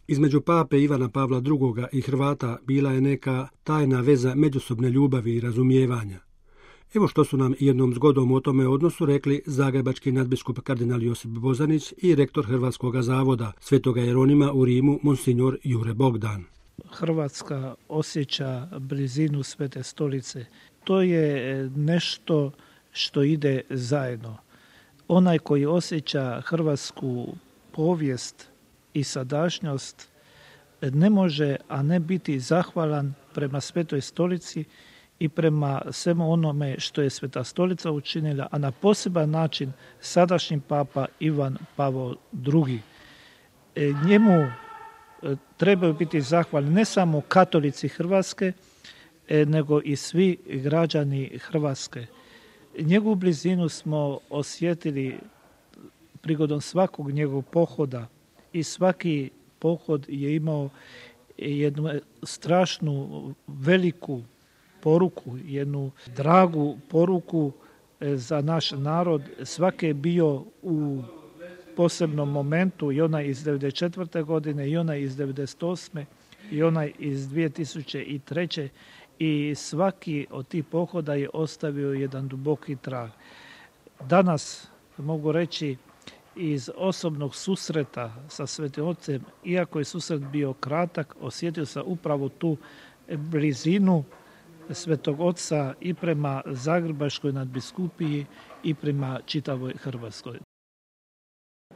Između pape Ivana Pavla II. I Hrvata bila je neka tajna veza međusobne ljubavi i razumijevanja. Evo što su nam jednom zgodom o tome odnosu rekli zagrebački nadbiskup kardinal Josip Bozanić i rektor Hrvatskog zavoda Svetoga Jeronima u Rimu monsignor Jure Bogdan. Hrvatska osjeća blizinu Svete Stolice. To je nešto što ide zajedno. Onaj koji osjeća hrvatsku povijest i sadašnjost ne može, a ne biti zahvalan prema Svetoj Stolici i prema svemu onome što je Sveta Stolica učinila, a na poseban način sadašnji papa Ivan Pavao II. Njemu trebaju biti zahvalni ne samo katolici Hrvatske, nego i svi građani Hrvatske. Njegovu blizinu smo osjetili prigodom svakog njegovog pohoda i svaki pohod je imao jednu strašnu, veliku poruku, jednu dragu poruku za naš narod. Svaki je bio u posebnom momentu, i onaj iz 1994. godine, i onaj iz 1998. i onaj iz 2003. I svaki od tih pohoda je ostavio jedan duboki trag. Danas mogu reći iz osobnog susreta sa Svetim Ocem, iako je susret bio kratak, osjetio sam upravo tu blizinu Svetog Oca i prema Zagrebačkoj nadbiskupiji i prema čitavoj Hrvatskoj.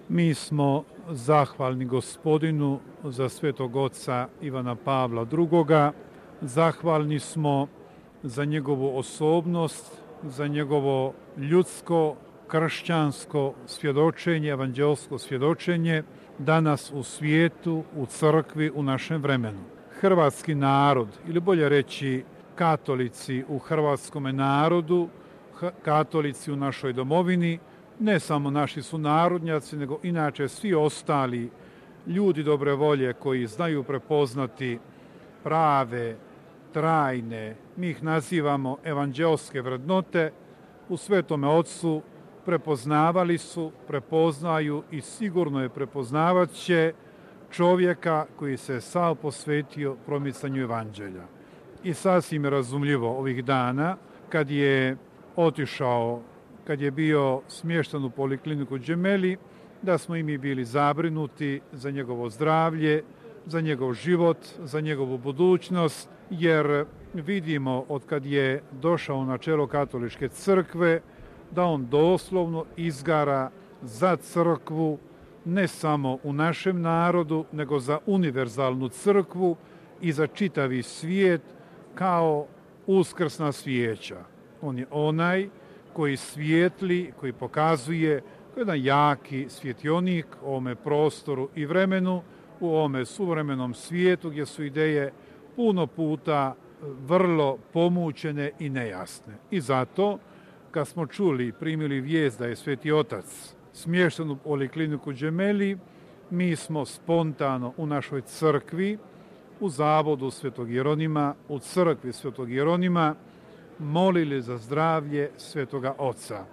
Mi smo zahvalni Gospodinu za Svetog Oca Ivana Pavla II. Zahvalni smo za njegovu osobnost, za njegovo ljudsko, kršćansko svjedočenje, evanđelsko svjedočenje danas u svijetu, u crkvi, u našem vremenu. Hrvatski narod, ili bolje reći katolici u hrvatskome narodu, katolici u našoj domovini, ne samo naši sunarodnjaci, nego inače svi ostali ljudi dobre volje koji znaju prepoznati prave, trajne, mi ih nazivamo evanđelske vrednote, u Svetome Ocu prepoznavali su, prepoznaju i sigurno je prepoznavat će čovjeka koji se sav posvetio promicanju evanđelja. I sasvim je razumljivo ovih dana kad je otišao, kad je bio smješten u polikliniku Gemelli, da smo i mi bili zabrinuti za njegovo zdravlje, za njegov život, za njegovu budućnost, jer vidimo od kad je došao na čelo katoličke crkve da on doslovno izgara za crkvu, ne samo u našem narodu, nego za univerzalnu crkvu i za čitavi svijet kao uskrsna svijeća. On je onaj koji svijetli, koji pokazuje jedan jaki svjetionik u ovome prostoru i vremenu, u ovome suvremenom svijetu gdje su ideje puno puta vrlo pomućene i nejasne. I zato, kad smo čuli, primili vijest da je Sveti Otac smješten u polikliniku Gemelli, mi smo spontano u našoj crkvi, u zavodu Svetog Jeronima, u crkvi Svetog Jeronima, molili za zdravlje Svetoga Oca.